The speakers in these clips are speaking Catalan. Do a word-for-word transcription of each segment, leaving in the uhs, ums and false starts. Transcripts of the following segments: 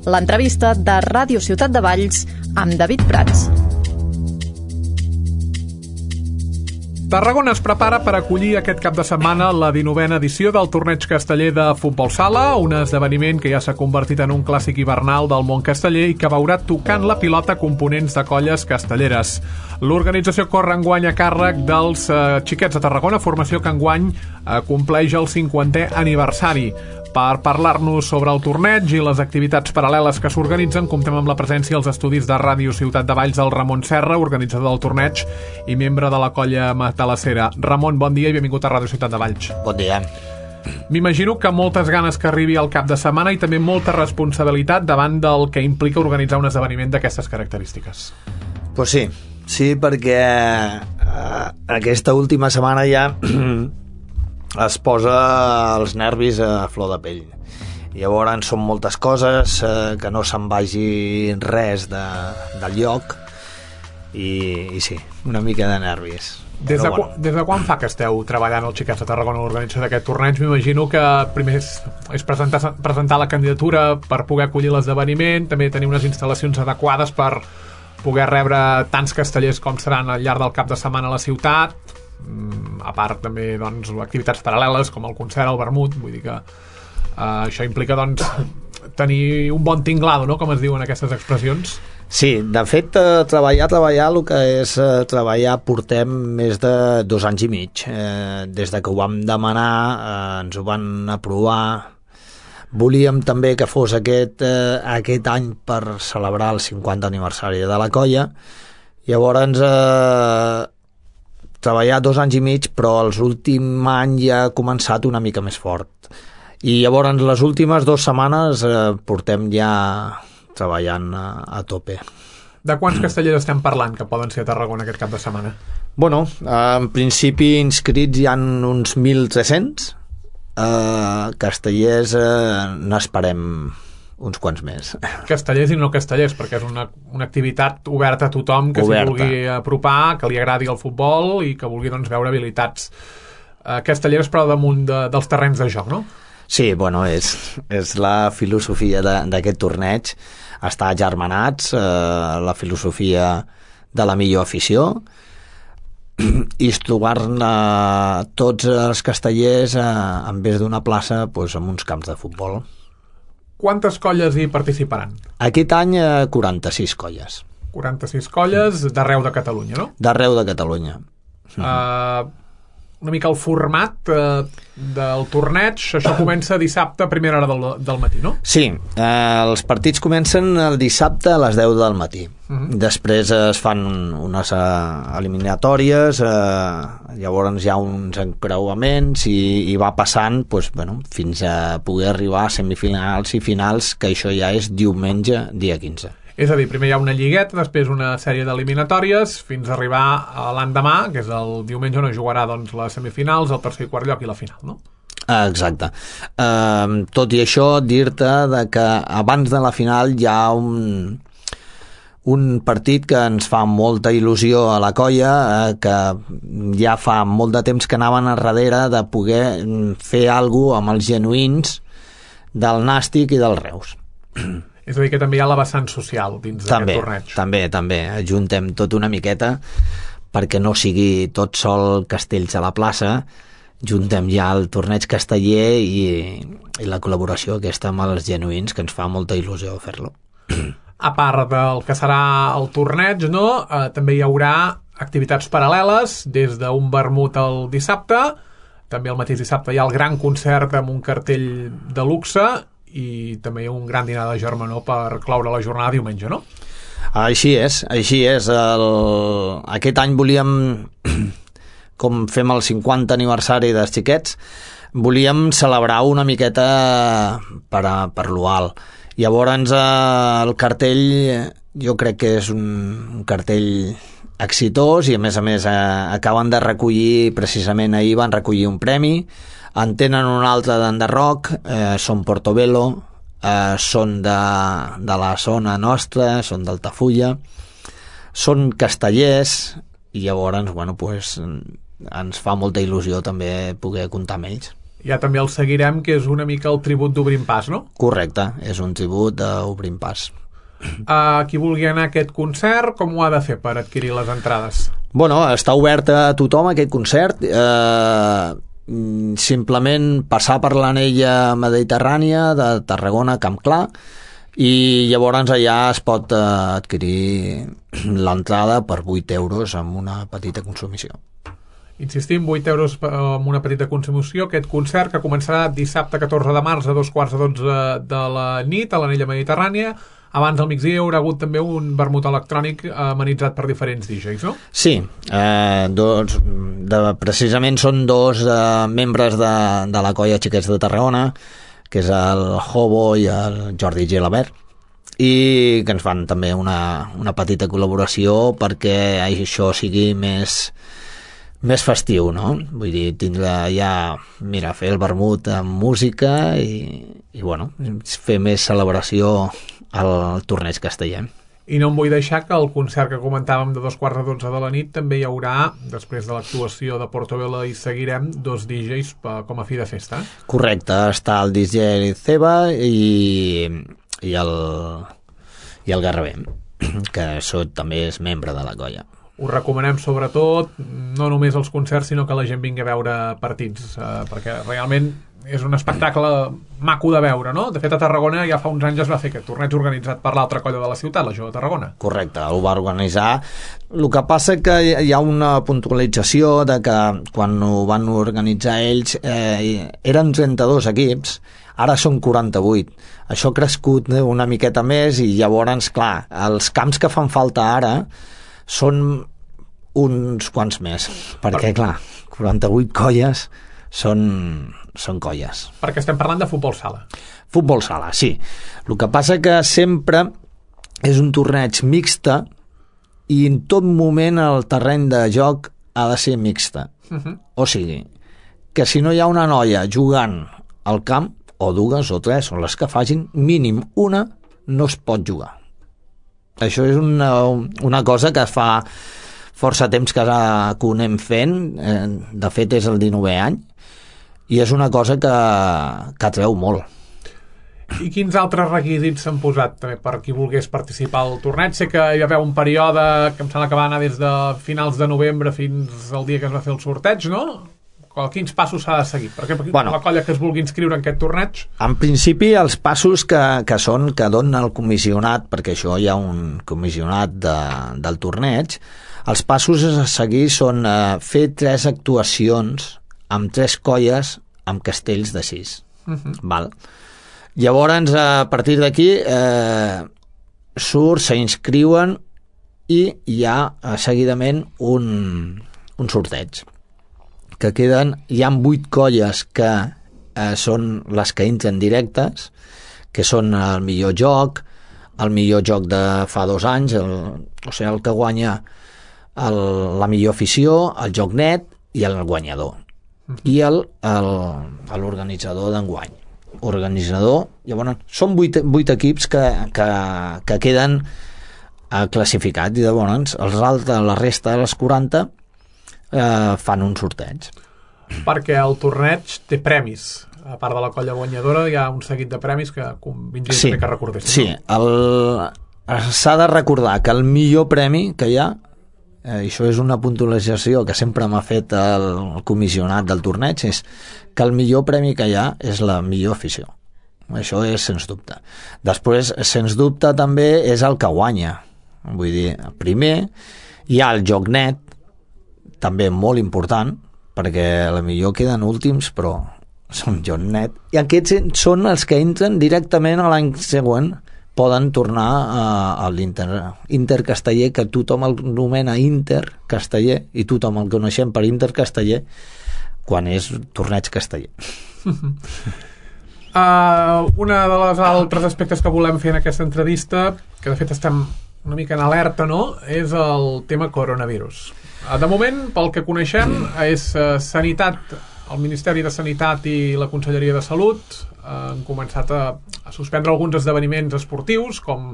L'entrevista de Ràdio Ciutat de Valls amb David Prats. Tarragona es prepara per acollir aquest cap de setmana la dinovena edició del Torneig Casteller de Futbol Sala, un esdeveniment que ja s'ha convertit en un clàssic hivernal del món casteller i que veurà tocant la pilota components de colles castelleres. L'organització corre enguany a càrrec dels eh, Xiquets de Tarragona, formació que enguany eh, compleix el cinquantè aniversari. Per parlar-nos sobre el torneig i les activitats paral·leles que s'organitzen, comptem amb la presència als estudis de Ràdio Ciutat de Valls del Ramon Serra, organitzador del torneig i membre de la colla matalassera. Ramon, bon dia i benvingut a Ràdio Ciutat de Valls. Bon dia. M'imagino que moltes ganes que arribi al cap de setmana i també molta responsabilitat davant del que implica organitzar un esdeveniment d'aquestes característiques. Pues sí, sí, perquè eh, aquesta última setmana ja es posa els nervis a flor de pell. Llavors són moltes coses, eh, que no se'n vagi res de, del lloc i, i sí, una mica de nervis. Des de, bueno. des de quan fa que esteu treballant els Xiquets de Tarragona a l'organització d'aquest torneig? M'imagino que primer és, és presentar, presentar la candidatura per poder acollir l'esdeveniment, també tenir unes instal·lacions adequades per poder rebre tants castellers com seran al llarg del cap de setmana a la ciutat, a part també doncs, activitats paral·leles com el concert, el vermut, vull dir que uh, això implica doncs, tenir un bon tinglado, no? Com es diuen aquestes expressions. Sí, de fet, eh, treballar, treballar, el que és eh, treballar portem més de dos anys i mig. Eh, des de que ho vam demanar, eh, ens ho van aprovar. Volíem també que fos aquest, eh, aquest any per celebrar el cinquanta aniversari de la colla. Llavors, eh, treballar dos anys i mig, però els últims anys ja ha començat una mica més fort. I llavors les últimes dues setmanes eh, portem ja treballant a, a tope. De quants castellers estem parlant que poden ser a Tarragona aquest cap de setmana? Bueno, en principi inscrits hi ha uns mil tres-cents, eh, castellers eh, n'esperem uns quants més. Castellers i no castellers, perquè és una, una activitat oberta a tothom que s'hi vulgui apropar, que li agradi el futbol i que vulgui doncs, veure habilitats eh, castelleres però damunt de, dels terrenys de joc, no? Sí, bueno, és, és la filosofia d'aquest torneig, estar agermanats, eh, la filosofia de la millor afició i trobar-ne tots els castellers eh, en vez d'una plaça doncs, en uns camps de futbol. Quantes colles hi participaran? Aquest any eh, quaranta-sis colles. quaranta-sis colles d'arreu de Catalunya, no? D'arreu de Catalunya. Uh, una mica el format uh, del torneig, això comença dissabte a primera hora del, del matí, no? Sí, eh, els partits comencen el dissabte a les deu del matí. Uh-huh. Després es fan unes uh, eliminatòries, uh, llavors hi ha uns encreuaments i, i va passant doncs, bueno, fins a poder arribar a semifinals i finals, que això ja és diumenge, dia quinze. És a dir, primer hi ha una lligueta, després una sèrie d'eliminatòries, fins a arribar a l'endemà, que és el diumenge on es jugarà doncs, les semifinals, el tercer i quart lloc i la final, no? Exacte. Uh, tot i això, dir-te de que abans de la final hi ha un, un partit que ens fa molta il·lusió a la colla, eh, que ja fa molt de temps que anaven a darrere de poder fer alguna cosa amb els genuïns del Nàstic i del Reus. És a dir, que també hi ha la vessant social dins d'aquest torneig. També, també. Ajuntem tot una miqueta perquè no sigui tot sol castells a la plaça, juntem ja el torneig casteller i, i la col·laboració aquesta amb els genuïns, que ens fa molta il·lusió fer-lo. A part del que serà el torneig, no? Eh, també hi haurà activitats paral·leles, des d'un vermut al dissabte, també el mateix dissabte hi ha el gran concert amb un cartell de luxe i també hi ha un gran dinar de germanor per cloure la jornada diumenge, no? Així és, així és. El... Aquest any volíem, com fem el cinquanta aniversari dels Xiquets, volíem celebrar una miqueta per, a, per l'O-Alt. Llavors el cartell jo crec que és un, un cartell exitós i a més a més eh, acaben de recollir, precisament ahir van recollir un premi. En tenen un altre d'Enderroc, eh, són Portobello, eh, són de, de la zona nostra, són d'Altafulla, són castellers i llavors, bueno, pues, ens fa molta il·lusió també poder comptar amb ells. Ja també el seguirem, que és una mica el tribut d'Obrim Pas, no? Correcte, és un tribut d'Obrim Pas. Uh, qui vulgui anar a aquest concert, com ho ha de fer per adquirir les entrades? Bueno, està obert a tothom aquest concert, eh, simplement passar per l'anella mediterrània de Tarragona, Camp Clar, i llavors allà es pot eh, adquirir l'entrada per vuit euros amb una petita consumició. Insistim, vuit euros amb una petita consumició, aquest concert que començarà dissabte catorze de març a dos quarts de dotze de la nit a l'anella mediterrània. Abans del migdia hi haurà hagut també un vermut electrònic amenitzat per diferents D Js, no? Sí, eh, dos, de, precisament són dos eh, membres de, de la colla Xiquets de Tarragona, que és el Hobo i el Jordi Gelabert, i que ens fan també una, una petita col·laboració perquè això sigui més, més festiu, no? Vull dir, tindre ja, mira, fer el vermut amb música i, i bueno, fer més celebració al torneig casteller. I no em vull deixar que el concert que comentàvem de dos quarts de dotze de la nit també hi haurà, després de l'actuació de Portobello i seguirem, dos D Js com a fi de festa. Correcte, està el D J Ceba i, i el i el Garrabem, que això també és membre de la colla. Us recomanem sobretot no només els concerts, sinó que la gent vingui a veure partits, eh, perquè realment és un espectacle maco de veure, no? De fet, a Tarragona ja fa uns anys es va fer aquest torneig organitzat per l'altra colla de la ciutat, la Jove de Tarragona. Correcte, ho va organitzar. El que passa que hi ha una puntualització de que quan ho van organitzar ells eh, eren trenta-dos equips, ara són quaranta-vuit. Això ha crescut una miqueta més i llavors, clar, els camps que fan falta ara són uns quants més, perquè, clar, quaranta-vuit colles són, són colles. Perquè estem parlant de futbol sala. Futbol sala, sí. El que passa que sempre és un torneig mixta i en tot moment el terreny de joc ha de ser mixta. Uh-huh. O sigui, que si no hi ha una noia jugant al camp, o dues o tres, o les que facin, mínim una no es pot jugar. Això és una, una cosa que fa força temps que, que ho anem fent, eh, de fet és el dinovè any, i és una cosa que, que atreu molt. I quins altres requisits s'han posat també per qui volgués participar al torneig? Sé que hi va haver un període que em sembla que va anar des de finals de novembre fins al dia que es va fer el sorteig, no? Quins passos s'ha de seguir? Perquè bueno, la colla que es vulgui inscriure en aquest torneig? En principi, els passos que, que són que dona el comissionat, perquè això hi ha un comissionat de, del torneig, els passos a seguir són eh, fer tres actuacions amb tres colles amb castells de sis. Uh-huh. Val? Llavors, a partir d'aquí, eh, surt, s'inscriuen i hi ha eh, seguidament un, un sorteig. Que queden, hi ha vuit colles que eh, són les que entren directes, que són el millor joc, el millor joc de fa dos anys, el, o sigui, el que guanya el, la millor afició, el joc net i el guanyador. I el, el, l'organitzador d'enguany. Organitzador, llavors, són vuit, vuit equips que, que, que queden eh, classificats i llavors els altres, la resta de les quaranta Eh, fan un sorteig. Perquè el torneig té premis. A part de la colla guanyadora hi ha un seguit de premis que convindria sí, que recordéssim. Sí, el... s'ha de recordar que el millor premi que hi ha, eh, això és una puntualització que sempre m'ha fet el, el comissionat del torneig, és que el millor premi que hi ha és la millor afició. Això és sens dubte. Després, sens dubte, també és el que guanya. Vull dir, primer hi ha el joc net, també molt important, perquè a la millor queden últims, però són joc net. I aquests són els que entren directament a l'any següent, poden tornar a, a l'Inter Inter Casteller, que tothom el nomena Inter Casteller, i tothom el coneixem per Inter Casteller, quan és torneig casteller. Uh, una de les altres aspectes que volem fer en aquesta entrevista, que de fet estem una mica en alerta, no?, és el tema coronavirus. De moment, pel que coneixem, és Sanitat, el Ministeri de Sanitat i la Conselleria de Salut han començat a, a suspendre alguns esdeveniments esportius, com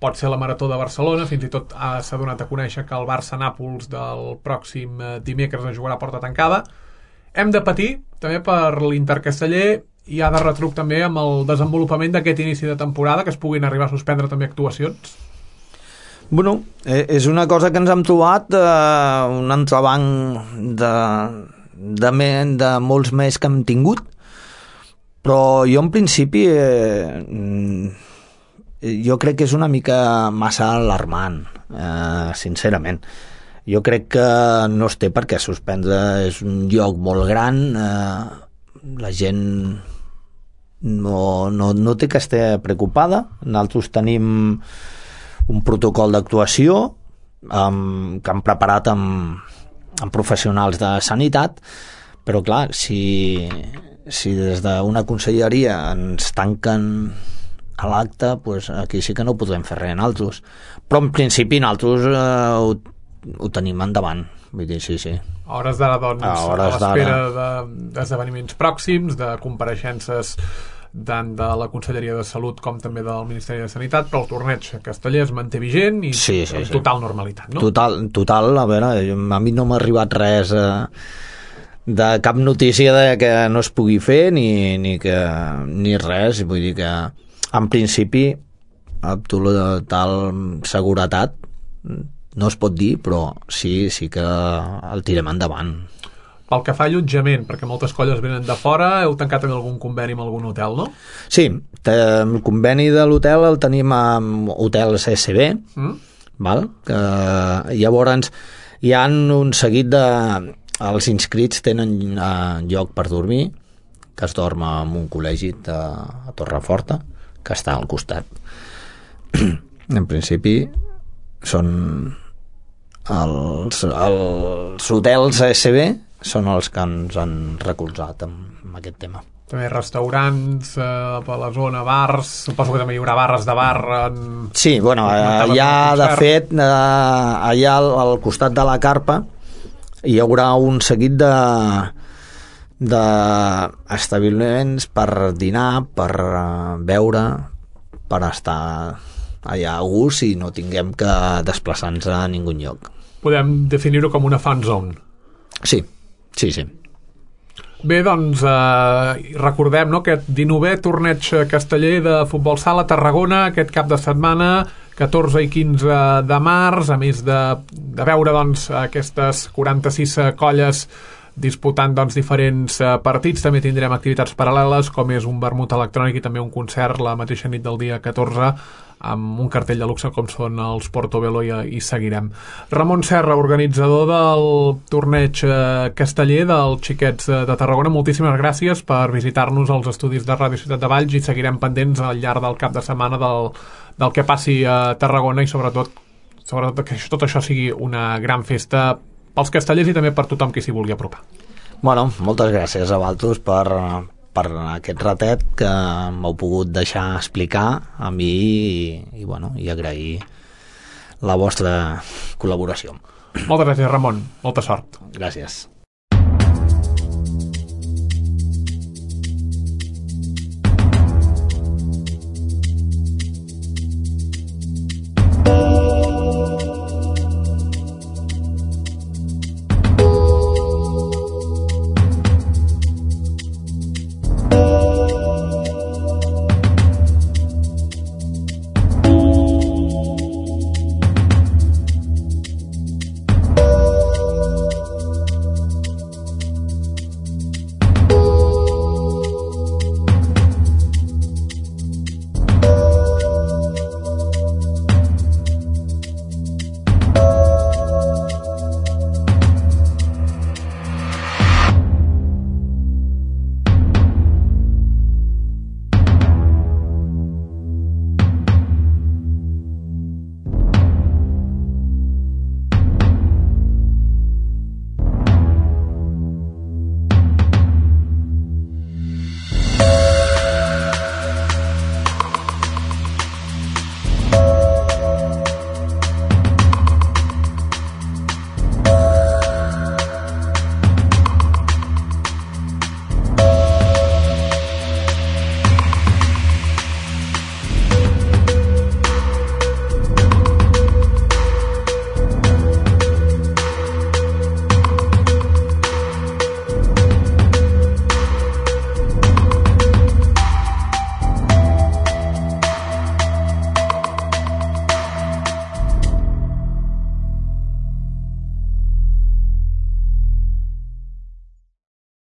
pot ser la Marató de Barcelona. Fins i tot s'ha donat a conèixer que el Barça-Nàpols del pròxim dimecres es jugarà a porta tancada. hem de patir també per l'Intercasteller i ha de retruc també amb el desenvolupament d'aquest inici de temporada, que es puguin arribar a suspendre també actuacions? Bueno, és una cosa que ens hem trobat, eh, un entrebanc de, de, me, de molts més que hem tingut, però jo en principi eh, jo crec que és una mica massa alarmant, eh, sincerament. Jo crec que no es té per què suspendre, és un lloc molt gran, eh, la gent no, no, no té que estar preocupada. Nosaltres tenim un protocol d'actuació um, que han preparat amb, amb professionals de sanitat, però clar, si, si des d'una conselleria ens tanquen a l'acte, pues aquí sí que no podrem fer res nosaltres. Però en principi nosaltres eh, ho, ho tenim endavant. Vull dir, sí, sí. A hores d'ara, doncs, a, a, a l'espera de, d'esdeveniments pròxims, de compareixences tant de la Conselleria de Salut com també del Ministeri de Sanitat, però el torneig casteller es manté vigent i sí, sí, en sí. total normalitat, no? Total, total, a veure, a mi no m'ha arribat res eh, de cap notícia de que no es pugui fer ni, ni, que, ni res, vull dir que en principi amb total seguretat no es pot dir, però sí, sí que el tirem endavant. Pel que fa a allotjament, perquè moltes colles venen de fora, heu tancat també algun conveni amb algun hotel, no? Sí, el conveni de l'hotel el tenim amb hotels S B, mm? val? Que llavors hi ha un seguit de... Els inscrits tenen uh, lloc per dormir, que es dorm en un col·legi de, a Torreforta, que està al costat. En principi són els, els hotels S B són els que ens han recolzat amb, amb aquest tema. També restaurants eh, per la zona, bars, suposo que també hi haurà barres de bar en... Sí, bueno, allà de fet eh, allà al, al costat de la carpa hi haurà un seguit de d'establiments per dinar, per beure, per estar allà a gust i no tinguem que desplaçar-nos a ningú lloc. Podem definir-ho com una fan zone. Sí, sí, sí. Bé, doncs eh, recordem, no, aquest dinovè torneig casteller de futbol sala a Tarragona aquest cap de setmana, catorze i quinze de març, a més de, de veure doncs, aquestes quaranta-sis colles disputant doncs, diferents eh, partits. També tindrem activitats paral·leles com és un vermut electrònic i també un concert la mateixa nit del dia catorze amb un cartell de luxe com són els Portobello i, i seguirem. Ramon Serra, organitzador del torneig eh, casteller dels Xiquets de Tarragona, moltíssimes gràcies per visitar-nos als estudis de Ràdio Ciutat de Valls i seguirem pendents al llarg del cap de setmana del, del que passi a Tarragona i sobretot, sobretot que tot això sigui una gran festa pels castellers i també per tothom qui s'hi vulgui apropar. Bueno, moltes gràcies a vosaltres per, per aquest ratet que m'heu pogut deixar explicar a mi i, i, bueno, i agrair la vostra col·laboració. Moltes gràcies, Ramon. Molta sort. Gràcies.